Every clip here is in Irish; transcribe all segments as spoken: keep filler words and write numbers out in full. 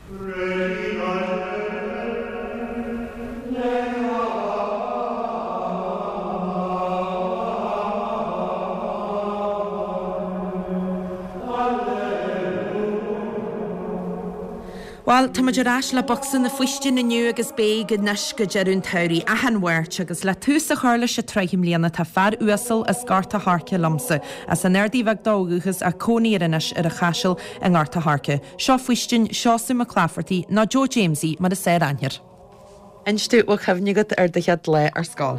Bhuel, tá muid ar ais le Bocsa na Faoistine inniu agus beidh anois go deireadh an tsamhraidh, achan Mháirt, agus le tús a chur leis an tsraith i mbliana tá fear uasal as Gort a' Choirce liomsa, as an Ardaidh Bheag dó ó dhúchas ach cónaí air anois ar an Chaiseal i nGort a' Choirce. Seo Faoistin, Seosamh Mac Laifeartaigh, nó Joe Jamesie mar is fearr aithne air. Inis domh, bhfuil cuimhne agat ar do chéad lá ar scoil?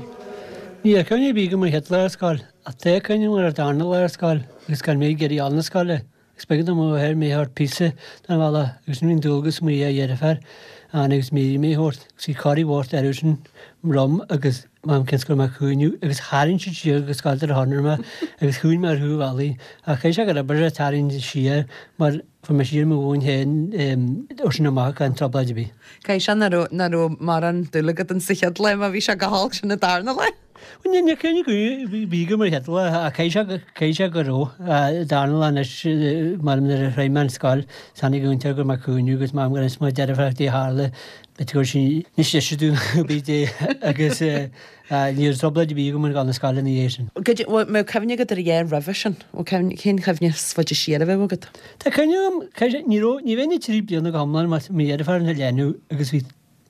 Níl cuimhne ar bith agam ar mo chéad lá ar scoil, ach tá cuimhne agam ar an darna lá ar scoil agus gan mé ag iarraidh a dhul na scoile. Agus b'éigean do mo mháthair mé a thabhairt píosa den bhealach agus bhí an dualgas ar mo dheirfiúr Anna agus Mary mé a thabhairt agus bhí corraí bhocht orthu sin liom agus m'am cionn is go raibh mé ag caoineadh agus tharraing siad siar go scoil ar thorn mé agus chuaigh mé ar chúl bhealaigh ach chaith sé gur obair a tarraingt siar mar fuair mé siar mo mhóin féin ó sin amach gan trioblóid ar bith. Caithfidh sé nach raibh nach raibh mórán dúil agat in sa chéad lá má bhí sé go holc sin an darna lá. Bhuel níl cuimhne ar bith agam ar an chéad lá ach caithfidh sé caithfidh sé go raibh darna lá anois mar nuair a shroich mé an scoil tháinig an úinteoir go raibh mé ag caoineadh agus m'am gur inis mo deirfiúr caidé a tharla b'fhéidir go raibh sí níos deise dúinn ná bí dé agus ní raibh trioblóid ar bith agam ag dul na scoile ina dhiaidh sin. Goidé bhfuil mbeadh cuimhne agat ar a dhath roimhe sin? Bhfuil cuimhne cén chuimhne is faide siar a bheadh agat? Tá cuimhne agam caithfidh sé ní raibh ní bheinn trí bliana go hiomlán mar mo dheirfiúr ina leanbh agus bhí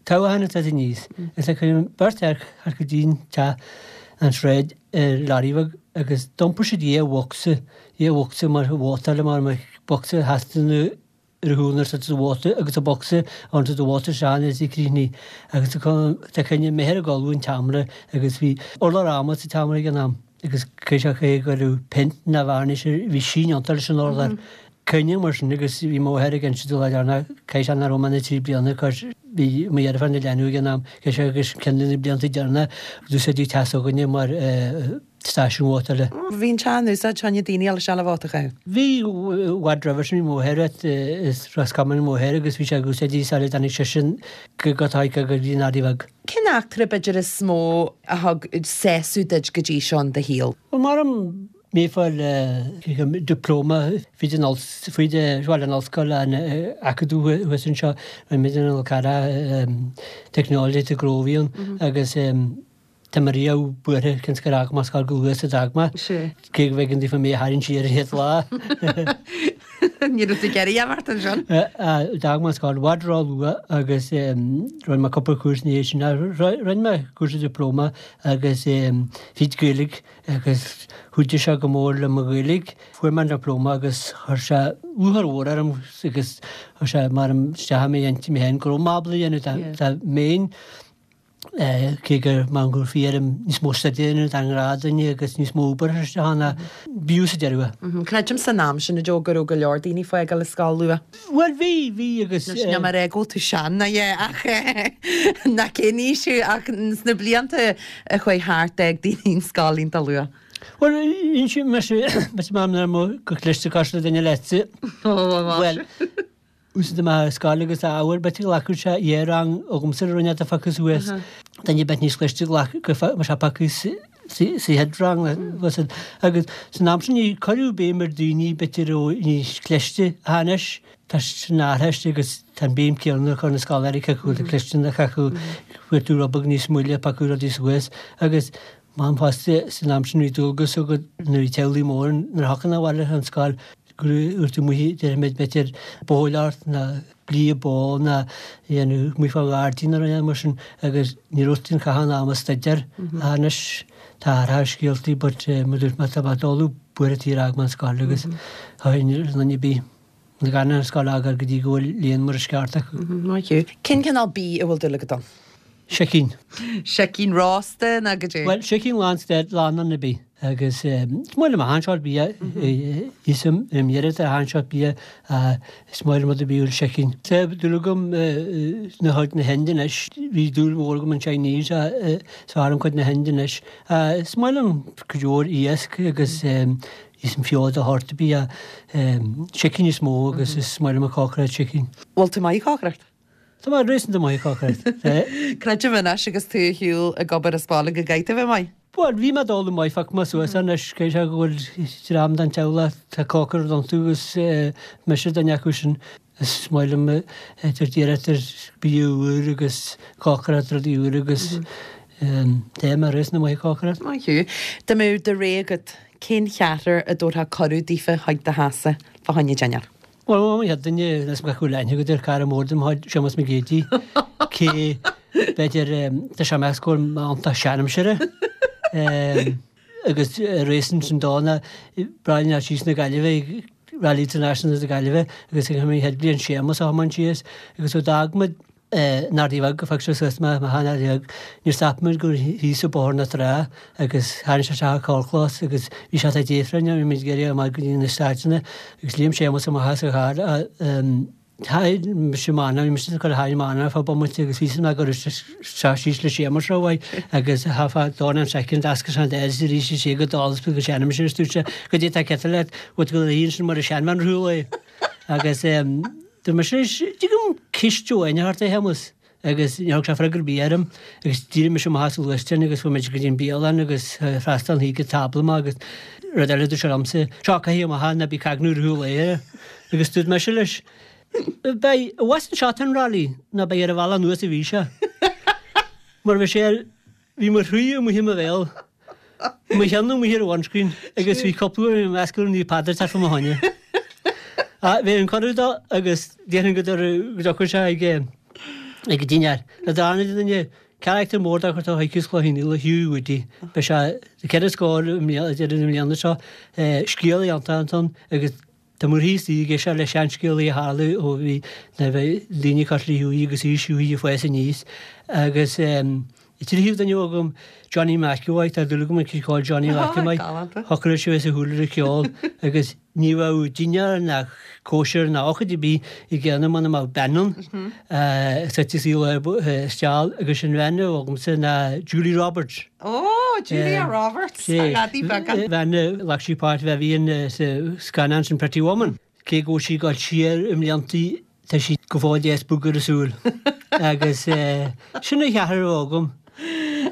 Toghchán ag teacht aníos. Is ag an bheirt fhear thart go dtí'n teach an tsráid ar lorry bheag agus d'iompair siad dhá bhocsa, dhá bhocsa mar vótáil mar mar bocsa a theastaigh ar a chúl nuair sa vóta agus a bocsa ann sa vóta isteach nuair a bhí críochnaithe agus tá cuimhne m'athair ag ullmhú an tseomra agus bhí urlár adhmaid sa tseomra ag an am agus cé sé go raibh peint ná vearnais bhí síneanta leis an urlár. Cuimhním mar sin agus bhí mo mháthair ag inse domh lá deireanach, caithfidh sé nach raibh mé ach trí bliana cos bhí mo dheirfiúr ina leanbh ag an am, caithfidh sé agus ceann de na blianta deireanacha d'úsáidtí teach s'againne mar stáisiún vótála. Bhí an teach in úsáid fá choinne daoine a dhul isteach le vóta a chaitheamh. Bhí, i bhfad roimhe sin bhí mo mháthair as Ros Comáin mo mháthair agus bhí sé ag úsáid í sula dtáinig seisean go go go dtí an Ardaidh Bheag. Cén eachtra b'fhéidir is mó a thug sásamh duit go dtí seo in do shaol? Bhuel, maram mé ag fáil dioplóma fríd an fríd bhuel an ollscoil an acadamh thuas anseo rinne muid an Ol Cearra teicneolaíocht i gcró a bhí ann agus tá mé riamh buartha cionn is gur fhág mé an scoil go luath is a d'fhág mé cé go bhfeiceann daofa mé a tharraingt siar an chéad lá. Ní raibh tú ag iarraidh imeacht ansin. D'fhág mé an scoil i bhfad ró-luath agus rinne mé cúpla cúrsa ina dhiaidh sin. Rinne mé cúrsa dioplóma agus fríd Gaeilge agus chuidigh sé go mór le mo Ghaeilge. Fuair mé an dioplóma agus chuir sé lúcháir mhór orm agus chuir sé mar isteach i m'intinn mé féin go raibh mé ábalta a dhéanamh dá mbeinn cé gur mar gur bhí orm níos mó staidéir a dhéanamh dá ngnáthdhuine agus níos mó obair a chur isteach ann ach b'fhiú sa deireadh é. Creidim san am sin a Joe go raibh go leor daoine ag fágáil an scoil luath. Bhuel bhí, bhí agus. Anois níl mé ag rá go bhfuil tú sean ná é ach ná cén aois thú ach sna blianta a chuaigh thart d'fhág daoine an scoil iontach luath. Bhuel inseoidh mise, mise mar mo go cliste cosúil le duine leatsa. Bhuel. Úsáid amach ar scoil agus ábhair b'fhéidir go nglacfadh sé dhá rang agamsa a rinne do phiocadh suas. Duine ar bith níos cliste ghlac go mar sé piocadh sa chéad rang le agus san am sin ní cuireadh béim ar daoine b'fhéidir a raibh níos cliste ach anois tá sin athraithe agus tá an béim céanna á cur ar na scoláirí cé acu atá cliste nó cé acu fuair tú rud beag níos moille piocadh rudaí suas agus M'am fosta san am sin bhí dualgas agat nuair a bhí teaghlaigh mór nuair a thiocfá abhaile ón scoil go raibh tú amuigh déarfaimid b'fhéidir bóileáirt ná blíodh bó ná dhéanamh amuigh fá ghairdín nó rud mar sin agus ní raibh tú in caitheamh an ama staidéar ach anois tá athrú ar scéaltaí but mar dúirt mé tá mé ag dul buartha taobh ar fhág mé an scoil agus tá aon duine ar bith gan an scoil a fhágáil go dtí go bhfuil léann mar is ceart acu. Maith thú. Cén cineál bídh a bhfuil dúil agat ann? Sicín. Sicín rósta nó goidé? Bhuel, sicín lánstad, lán ar bith. Agus is maith liom achan seort bia, íosaim im iarracht ar achan seort bia, is maith liom rud ar bith a bhfuil sicín. Tá dúil agam na chuid na hInde anois, bhí dúil mhór agam an Chinese, is fearr liom cuid na hInde anois. Is maith liom cuid mhór iasc agus íosaim feoil de shórt ar bith, sicín is mó agus is maith liom an cócaireacht sicín. Bhfuil tú maith ag cócaireacht? Tá mé réasúnta maith ag cócaireacht. Creidim anois agus tú ar shiúl ag obair as baile go gcaithfidh tú a bheith maith. Bhuel, bhí mé ag dul maith, phioc mé suas anois, cé sé go bhfuil dream den teaghlach tá cócaireacht iontu agus mise duine acu sin. Is maith liom tar d'iarracht ar bia úr agus cócaireacht rudaí úr agus téim ar na maith cócaireacht. Maith thú. Dá mbeadh do rogha agat, cén cheathrar a dtabharfá cuireadh daofa chuig do theachsa fá choinne dinnéar? Bhuel, mo chéad duine, is gach uile aithne agat ar cara mór dem chuid, Séamus Mac Géidigh, cé b'fhéidir tá sé measc go bhfuil m'fhonn seanaimsire. Agus réasún sin dó ná Brian síos na Gaillimhe Rally International na Gaillimhe agus ag an chéad bhliain Séamus a thiomáin síos agus ó d'fhág muid an Ardaidh Bheag go phioc sé suas mé mo shean Ardaidh Bheag níor stop muid gur thíos i Bóthar na Trá agus tharraing sé isteach an carrchlós agus bhí sé tá déifreann bhí muid ag iarraidh amach go dtí na staideanna agus léim Séamus amach as a charr Thaithin mise m'anam, bhí mise ag cur thaithin m'anam ar feadh bomaite agus bhí mé ag cur isteach síos le Séamus rómhaith agus thá feadh dornán soicind d'ascail sé an doras arís is é go dall is go seanam sin is dúirt sé goidé tá ceart leat bhfuil tú go léir sin mar a seanbhean ar shiúl é agus dúirt mise leis tuigim cist amháin a thabhairt a Shéamus agus níor thug sé freagra ar bith orm agus d'éirigh mise amach as an ghluaisteán agus fuair muid go dtí an bialann agus freastal an ag tábla maith agus rud eile dúirt sé liomsa seo caithfidh amach ná bí cagnú ar shiúl é agus dúirt mise leis Beidh i bhfad anseo an rally ná beidh ar an bhealach anuas a bhí sé. Mar bhí sé ar, bhí mo chroí amuigh i mo bhéal, mo cheann amuigh ar an windscreen agus bhí cúpla uair i measc na Naomh Peadar thart fá mo choinne. Ah, bhí an cuireadh dó agus déarfainn go dtiocfadh sé ag ag an dinnéar. Na darna duine, carachtar mór dá chuir chuige is Cloich Cheann Fhaola, Hughie Woody. Beidh sé ceithre scór i mbliana, deireadh na mbliana seo, scéal iontach ansan agus Tá muir thíos aige seo le seanscéalaí a tharla ó bhí na daoine cosúil le Hughie agus aois Hughie ag fás aníos agus tríú duine agam Johnny McEvoy, tá dúil agam ag call Johnny McEvoy, shocraigh sé bheith sa shúil ar an cheol agus ní bheadh dinnéar ná cóisir ná ócáid ar bith i gceann muna mbeadh bean ann suite sa steall agus sin bhean a bheadh agamsa ná Julie Roberts. Ó, Julia Roberts, a leadaí beaga. Bhean a ghlac sí páirt Vivian sa scannán sin Pretty Woman. Cé go bhfuil sí ag dul siar i mbliantaí, tá sí go fóill deas bog ar a súil. Agus sin an cheathrar a bheadh agam.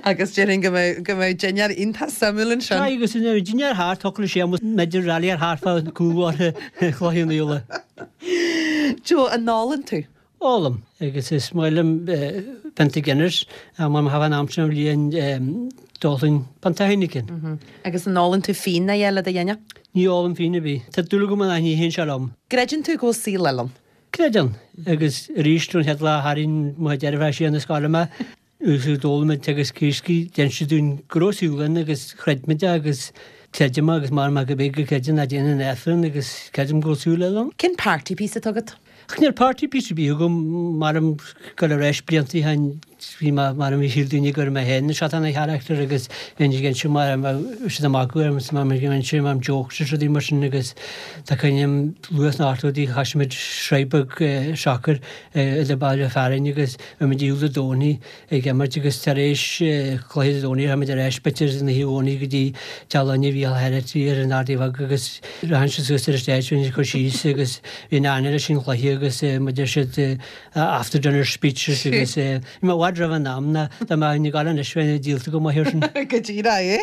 Agus déarfainn go mbeidh go mbeidh dinnéar iontach suimiúil ansin. Tá, agus an dinnéar thart, thiocfadh le Séamus b'fhéidir rally ar thart fá cúlbhóthar Chloich Cheann Fhaola. Joe, an ólann tú? Ólaim, agus is maith liom pionta Guinness, mar má thagann an am sin den bhliain d'ólfainn pionta Heineken. Agus an ólann tú fíon a le do dhinnéar? Ní ólaim fíon ar bith. Tá dúil agam ach ní théann sé liom. Creideann tú go bhfuil saol eile ann? Creideann. Agus arís ón chéad lá a tharraing mo dheirfiúr siar na scoile mé, agus d'fhoghlaim mé teagasc iascaigh, d'inis siad dúinn go raibh saol ann agus chreid muid é agus creidim é agus mara maith go b'fhéidir go gcreideann ná déanann an Aifreann agus creidim go bhfuil saol eile ann. Cén party piece atá agat? Ach níl party piece ar bith agam, maram gur ar ais blianta ó shin bhí mé, maram bhí shíl daoine gur mé féin an seatán a charachtar agus bhí ag inse mar bheadh siad ag magadh orm is mar ag inse mar jokes is rudaí mar sin agus tá cuimhne agam luath sna hochtóidí chaith muid sraith beag sacair idir baile fearainn agus bhí muid ar shiúl Dé Domhnaigh ag imirt agus tar éis cluiche Dé Domhnaigh raibh muid ar ais b'fhéidir an oíche Dhomhnaigh go dtí teach Loinne Mhícheál Herity ar an Ardaidh Bheag agus rachadh siad suas ar an stage bhí siad cur síos agus bhí an aithne leis an chluiche agus muid ar siad after dinner speeches agus bhí mé i bhfad roimh an am ná dá mbeinn ag gabháil anois bheinn díolta go maith air sin. Go díreach é.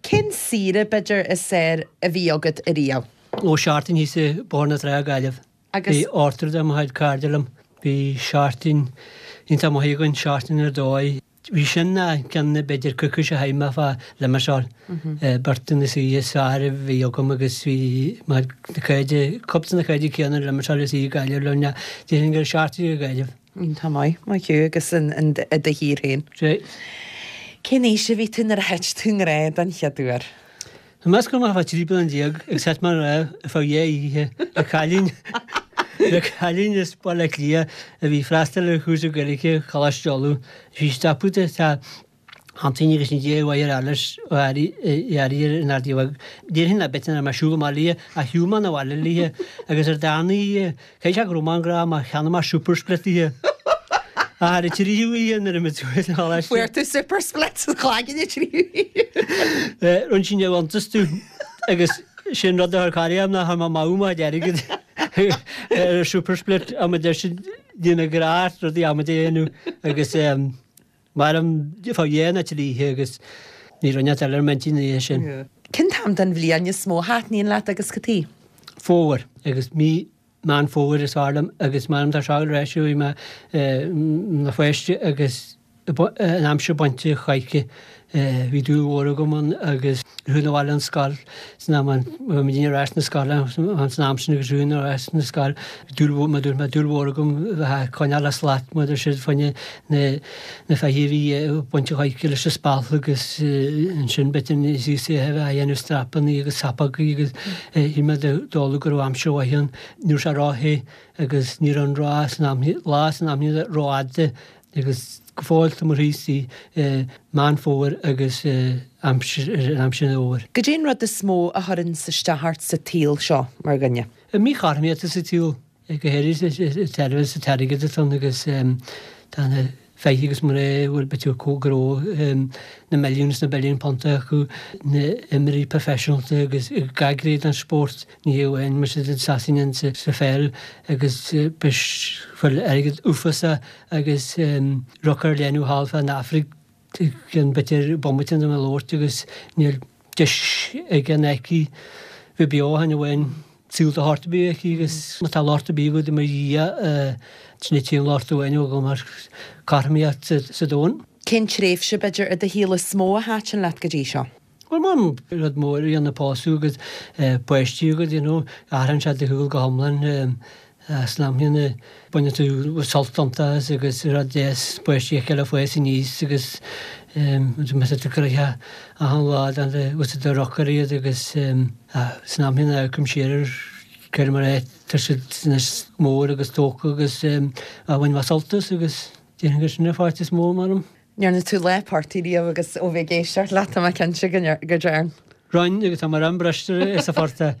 Cén saoire b'fhéidir is fearr a bhí agat ariamh? Ó seachtain thíos i Bóthar na Trá Gaillimh. Agus. Bhí ochtar de mo chuid cairde liom. Bhí seachtain iontach maith againn, seachtain ar dóigh. Bhí sin ná ceann b'fhéidir coicís a chaith mé fá Limassol. Beirt de na saoirí is fearr a bhí agam agus bhí na cairde, cúpla de na cairde céanna i Limassol is i Gaillimh liom. Déarfainn gur seachtain i Gaillimh. Iontach maith, maith thú agus i do thír féin. Sea. Cén aois a bhí tú nuair a thit tú i ngrá den chéad uair? Tá meas go mbeadh trí bliana déag agus thit mé i ngrá ar feadh dhá oíche le cailín le cailín as Baile Átha Cliath a bhí ag freastal ar chúrsa Gaeilge Choláiste Uladh. Bhí stopadh de tá Antaine agus an dé mhaith ar Alice ó Airí ar an Ardaidh Bheag. Déarfainn le b'fhéidir nach raibh mé ag siúl amach léi ach shiúil mé 'na bhaile léi agus ar darna oíche Caithfidh sé go raibh mé i ngrá mar cheannaigh mé super split di. Ach ar an tríú oíche nuair a bhí muid thuas sa choláiste. Fuair tú super split sa chlaigeann an tríú oíche. Rinne sí neamhiontas domh agus sin rud a chuir corraí orm nár chuir mé amú mo chuid airgid ar an super split am a deir siad déanamh grá rudaí amaidí a dhéanamh agus mairim fá dhá nó trí oíche agus ní raibh neart eile ar m'intinn an oíche sin. Cén t-am den bhliain is mó a thaitníonn leat agus cad chuige? Fómhar agus mí Meán Fómhair is fearr liom agus m'anam tá seo ar ais bhí mé ina pháiste agus an aimsir bainte choidhche bhí dúil mhór agam ann agus chuaigh na bhaile an scoil san am an bhí muidinne ar ais na scoile an san am sin agus chuaigh ar ais na scoil dúil mhór mar dúirt mé dúil mhór agam bheith ag coinneáil a slat mar deir siad fá choinne na na feithidí a bhí ag baint choidhche leis an spalp agus ansin b'fhéidir níos íosa a bheith a dhéanamh strapannaí agus sapogaí agus shíl mé dul go raibh aimsir mhaith ann ní raibh sé ró-the agus ní raibh an rá san am lá san am rófhada agus go fóill tá mar thíos i Meán Fómhair agus aimsir an aimsir an fhómhair. Goidé an rud is mó a chuireann isteach ort sa tsaol seo mar dhuine? An mhíchothromaíocht sa tsaol, go háirithe sa sa t-airgead atá ann agus tá na feithidí agus mná a bhfuil b'fhéidir go raibh na milliúin is na billiúin punt acu, na himreoirí proifisiúnta agus gach gné den spórt, ní hé amháin mar sin Sasana sa pheil agus fuil airgead uafásach agus rocáir léanú thall fán Afraic cionn b'fhéidir bomaite ina labhairt agus níl deis aige ná aici bheith beo ach amháin saol de shórt ar bith aici agus má tá locht ar bith agat i mo dhiaidh sin é an locht amháin agam ar cothromaíocht sa domhan. Cén tréimhse b'fhéidir i do shaol is mó a thaitin leat go dtí seo? Bhuel m'anam rud mór a dhéanamh pósadh agus páistí agat you know athraíonn sé do shaol go hiomlán san am chéanna baineann tú sult iontu as agus rud deas páistí a fheiceáil ag fás aníos agus más tú gnoitheach achan lá den bhfuil siad ag rocáil iad agus san am chéanna amharcaim siar ar cuir mar é tá siad anois mór agus tógtha agus bhain mé sult as agus déarfainn gur sin an pháirt is mó m'anam. Ndearna tú lá portaigh riamh agus ó bheith ag éisteacht leat tá mé cinnte go ndearn. Rinn agus tá mé an-bhriste sa phortach.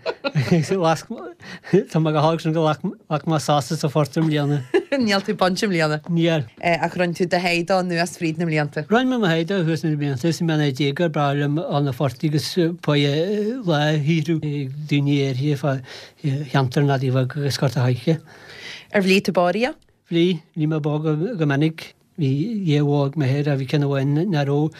Tá mé go holc sin go ghlac mé sásta sa phortach i mbliana. Níl tú bainte i mbliana? Níl. Ach rinne tú do thaghd anuas fríd na mblianta? Rinne mé mo thaghd thuas na blianta is mé ina déagóir ba bhreá liom dul na phortaigh agus paidhe lá a shaothrú ag daoine áirithe fá cheantar an Fhadaí Bheag agus Gort a' Choirce. Ar bhligh tú bó riamh? Bhligh, bhligh mé bó go minic. Bhí dhá bhó ag m'athair ach bhí ceann amháin nach raibh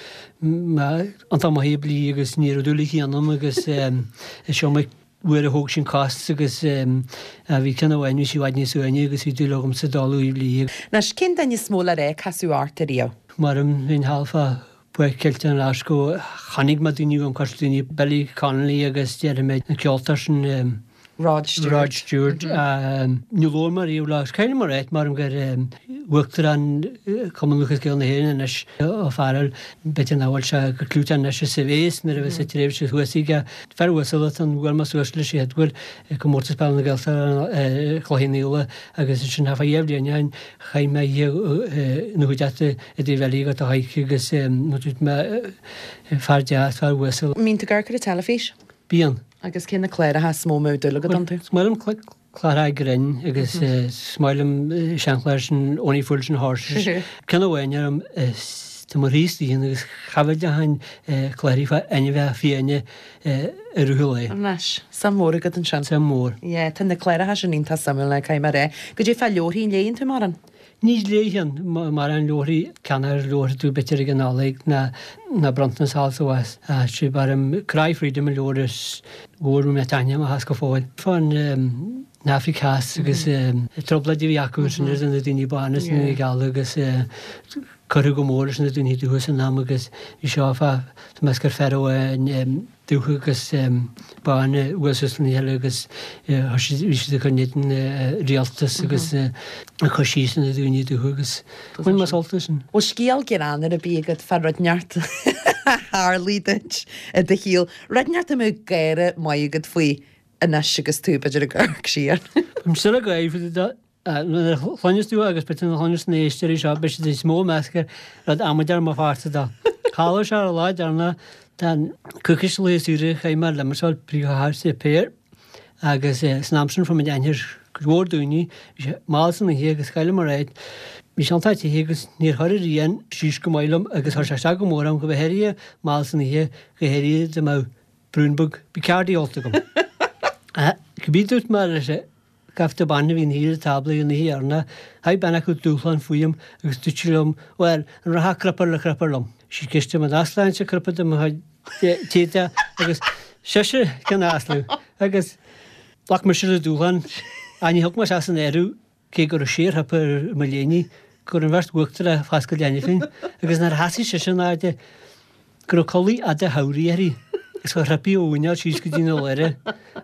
mé iontach maith ag blí agus ní raibh dúil aici ionam agus is iomaí uair a thóg sí an cos agus bhí ceann amháin bhí sí i bhfad níos uaine agus bhí dúil agamsa dul í a bhlí. Anois, cén duine is mó le rá a casadh ort ariamh? M'anam bhínn thall fá Páirc Chiltern Ghlaschú chonaic mé daoine uaim cosúil le daoine Billy Connolly agus déarfaidh mé an ceoltóir sin Rod Stewart. Rod Stewart. Níor labhair mé riamh leo. Is cuimhin liom a ráit m'anam gur Uachtarán Chumann Lúthchleas Gael na hÉireann anois, Ó Fearghail, b'fhéidir nach bhfuil sé chomh clúiteach anois is a bhíos nuair a bhí sa tréimhse thuas aige. Fear uasal atá ann, bhuail mé suas leis an chéad uair ag Comórtas Peile na Gaeltachta ar Chloich Cheann Fhaola agus ansin thart fá dhá bhliain ó shin chaith mé oíche ina chuideachta i dTaobh Eile go Thaidhg agus dúirt mé fear deas, fear uasal. An mbíonn tú ag amharc ar an teilifís? Bíonn. Agus cé na cláracha is mó a mbeadh dúil agat iontu? Is maith liom cláracha grinn agus is maith liom seanchlár sin Only Fools and Horses. Ceann amháin orm is tá mo thrí stíl agus cha bhfuil de hain cláraí fá ainmhithe fiáine i rith an lae. Anois, suim mhór agat ansin. Suim mhór. Yeah, tá na cláracha sin iontach suimiúil, caithfidh mé a rá. Goidé fá leabharthaí, an léann tú mórán? Ní léigheann mórán leabharthaí ceannaigh leabhartha tú b'fhéidir ag an Nollaig ná ná bronntanas thall is abhus. Sé b'fhearr Cry Freedom an leabhar is mhór mé taitneamh amach as go fóill. Fán Afraic Theas agus trioblóidí a bhí acu ansin idir na daoine bána is na daoine geala agus cuireadh go mór leis na daoine dubha san am agus bhí seo fá tá mé gur fear amháin dubh agus bán a bhuail suas lena chéile agus bhí siad ag cur in éadan rialtas agus ag cur síos ar na daoine dubha agus bhain mé sult as sin. Bhfuil scéal greannmhar ar bith agat fá rud inteacht a tharlaigh duit i do shaol, rud inteacht a mbeadh gáire maith agat faoi anois agus tú b'fhéidir ag amharc siar? Táim still ag gáire faoi Nuair a chluineas tú agus b'fhéidir nuair a chluineas na héisteoirí seo beidh siad níos mó measc ar rud amaideach mo pháirte dó. Tharla sé ar an lá deireanach den coicís lae saoire chaith mé i Limassol, príomhchathair Chipir, agus san am sin fuair muid aithne ar cuid mhór daoine, bhí sé mall san oíche agus chaill mé ride. Bhí sé iontach te agus níor chuir an ghrian síos go maith liom agus chuir sé isteach go mór orm go háirithe mall san oíche, go háirithe dá mbeadh braon beag Bacardi ólta agam. Cibé dúirt mé leis Gaibhte ban a bhí ina shuí ar an tábla ina thiarna, thug bean acu dúshlán fúm agus dúirt sí liom, Bhuel, an rachfá crupper le crupper liom? Sí ceist an easláinte crupper de mo chuid tíre agus sise ceann easlú agus ghlac mise le dúshlán. Ach ní thug mé isteach san áireamh cé go raibh sé ar mo léine go raibh an bheirt uachtarach ag foscadh cheana féin agus nuair a sheasaigh sise in airde go raibh culaith fhada shamhraidh uirthi agus chuir thripaí ó mhuineál síos go dtí na ladhra.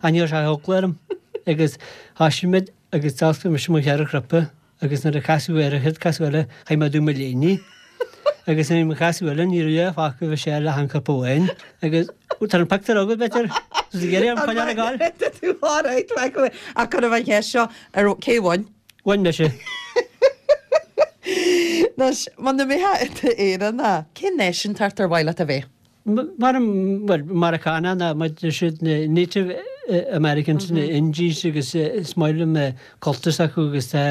Ach ní raibh sé eagla orm agus thoisigh muid agus d'fhoscail mise mo cheithre chriopa agus nuair a casadh air an chéad casadh eile chaith mé dom mo léine agus nuair a bhí mo chasadh eile ní raibh a fágtha bhí sé le han chriopa amháin agus tá an pictiúr agat b'fhéidir? Is ag iarraidh an coinneáil ag gabháil. Tá tú alright, ach cuirfidh an cheist seo ar cé bhain? Bhain mise. Anois, muna mbeifeá i d'Éireannach, cén náisiúntacht ar mhaith leat a bheith? Mar, bhuel, Meiriceánach ná muid siad na Native Americans, na Indies agus is maith liom cultúr s'acu agus tá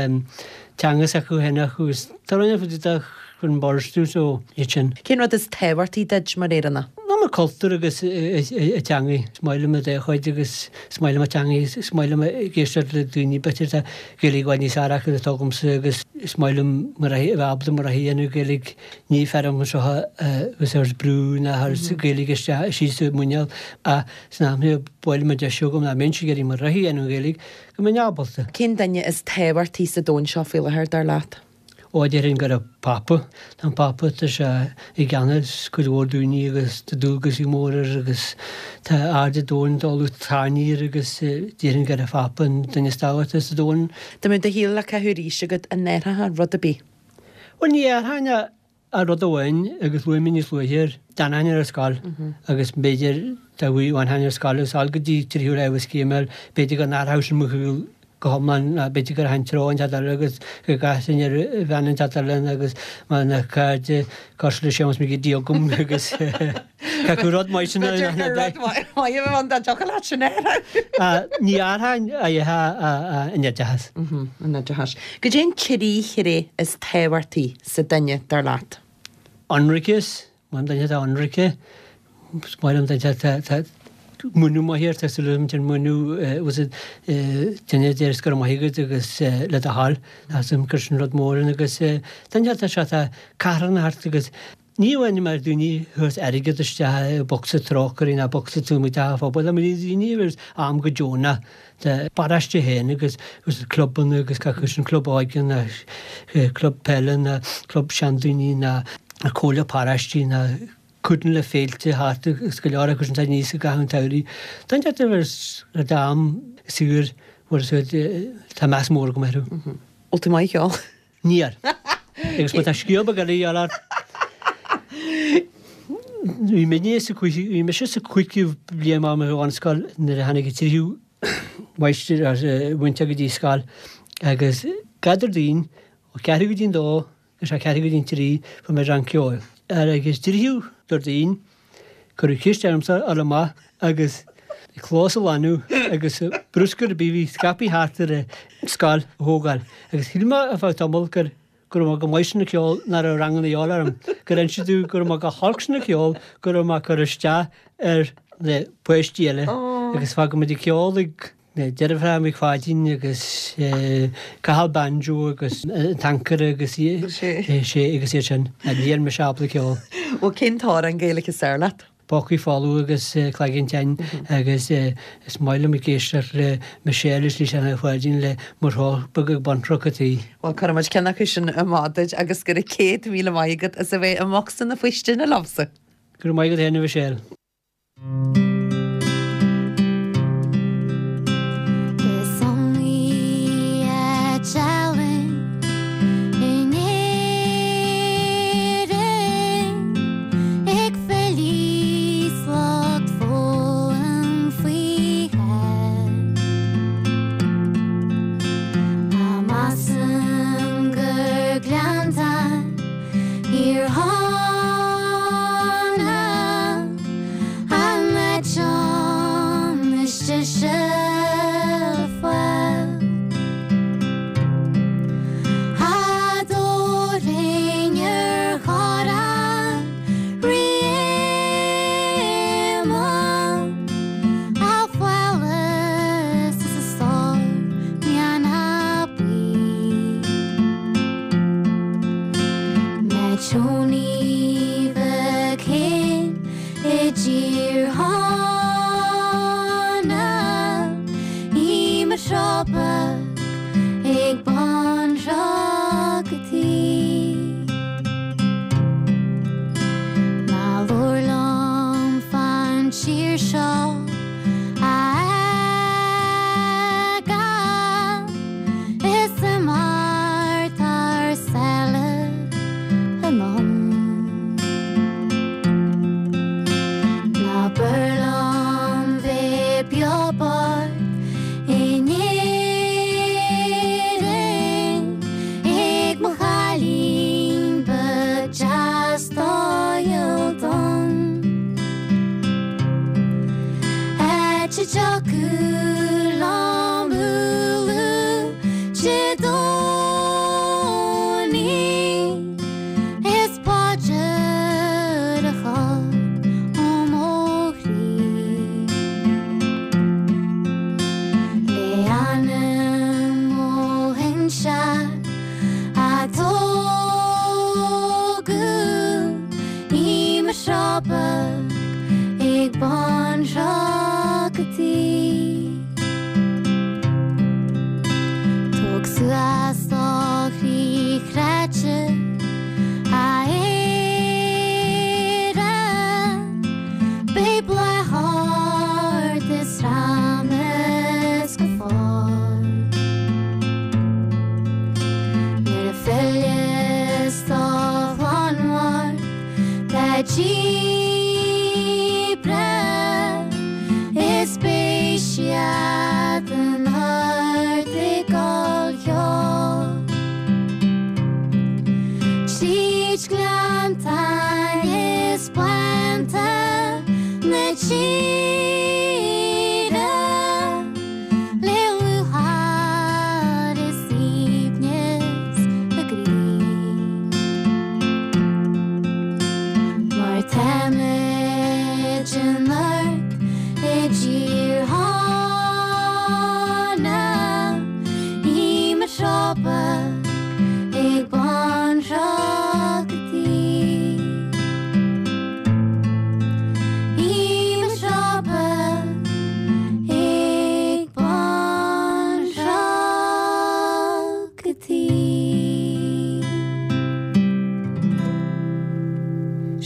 teanga s'acu féin acu agus tá rudaí faoi dtaobh chun borstú so iad sin. Cén rud is tábhachtaí duit mar Éireannach? Ná mo cultúr agus teanga. Is maith liom mo dá chuid agus is maith liom mo teanga, is maith liom ag éisteacht le daoine b'fhéidir tá Gaeilge i bhfad níos fearr acu ná atá agamsa agus is maith liom mo rogha a bheith ábalta mo rogha a dhéanamh Gaeilge ní fear anseo agus ar brú ná thar Gaeilge isteach síos i muineál ach san am ba mhaith liom an deis agam ná mbeinnse ag iarraidh mo rogha a dhéanamh Gaeilge go mbeinn ábalta. Cén duine is tábhachtaí sa domhan seo faoi láthair dar leat? Ó, déarfainn gur an Pápa. Tá an Pápa, tá sé i gceannas cuid mhór daoine agus tá dualgas mór air agus tá aird an domhain dul tarraingthe air agus déarfainn gur an Pápa an duine is tábhachtaí sa domhan. Dá mbeadh do shaol le caitheamh arís agat, an athrófá rud ar bith? Bhuel, ní athróinn ach rud amháin agus luaigh mé níos luaithe air, d'fhanfainn ar an scoil agus b'fhéidir dá bhfanfainn ar scoil agus dul go dtí tríú leibhéal scéim eile, b'fhéidir go n-athródh sin mo shaol go hiomlán ná b'fhéidir go rachainn treo inteacht eile agus go gcasfainn ar bhean inteacht eile agus mar na cairde cosúil le Séamus Mac Géidigh agam agus caithfidh rud maith sin a B'fhéidir gur rud maith a bheadh ann dá dtiocfadh leat sin a athrú. Ní athróinn an oideachas. An oideachas. Goidé an trí thréith is tábhachtaí sa duine dar leat? Ionraiceas, Maith liom duine atá ionraice, is maith liom duine atá múineadh maith air, tá súil agam an múineadh was it duine a deir go raibh maith agat agus le do thoil, tá súil agam gur sin rud mór ann agus duine atá sé atá carthanach thart agus ní amháin mar daoine thuas airgead isteach i bocsa trócairí ná bocsa taobh amuigh de phobal, mar daoine a bhfuil am go deonach de paráiste féin agus agus clubanna agus gach sin club óige ná club peile ná club seandaoine ná comhairle paráistí ná cuidiú le féilte thart agus go leor acu sin atá níos i gcaitheamh an tsamhraidh. Tá an deis ar am saor bhfuil tá meas mór agam orthu. Bhfuil tú maith ag ceol? Níl. Agus má tá scéal beag eile a dhíobháil ort. Bhí mé sa bhí mise sa cúigiú bliain ar mo bhunscoil nuair a tháinig an tríú máistir múinteoir go dtí scoil agus gach Déardaoin ó ceathrú go dtí an dó agus a ceathrú go dtí an trí fuair mé rang ceoil. Agus tríú Déardaoin cuireadh ceist ormsa dul amach agus clós a ghlanadh agus bruscar ar bith a bhí scaipthe thart ar an scoil a thógáil. Agus shíl mé ar feadh tamaill gur go raibh mé go maith sna ceol nach raibh ranganna a dhíobháil orm, gur inse domh go raibh mé go holc sna ceol, go raibh mé ag cur isteach ar na páistí eile agus fágadh muid ag ceol ag na deirfiúracha Mhic Pháidín agus Cathal Banjo agus an t-ancaire agus sé agus iad sin. Níl mise ábalta ceol. Bhuel cén t-amhrán Gaeilge is fearr leat? Pócaí Folamh agus Cloigeann Tinn agus is maith liom ag éisteacht le Michelle is Lisa Ní Pháidín le Mo Throid Beag ag Baintreach an Tí. Bhuel cuirfidh muid ceann acu sin amach duit agus go raibh céad míle maith agat as a bheith i mbocsa na faoistine liomsa. Go raibh maith agat féin a Mhichelle. Is iomaí áit álainn in Éirinn ag filí 's lucht foghlaim faoi. Ach measaim gur Gleannta Thír Chonaill an áit is deise le fáil. Fadó ar chorrán Rí Éamonn a phálás is a stól meanna buí. Tony Mhic i dTír Chonaill í mo shropa gcónaí is paidir a chur ó mo chroí. Le anam mo shinsear a tógadh i mo thrábadh ag bun Thrá Tóg suas do chroí chráite a Éire Beidh bláth ort is ramas go fóill Nuair a philleas do chlann mhór tá díbre is beidh siad in ard ag gol cheoil. Tríd gleanntáin is bánta na tíre le lúcháir is aoibhneas na gcroí. Mar táimid in ard i dtír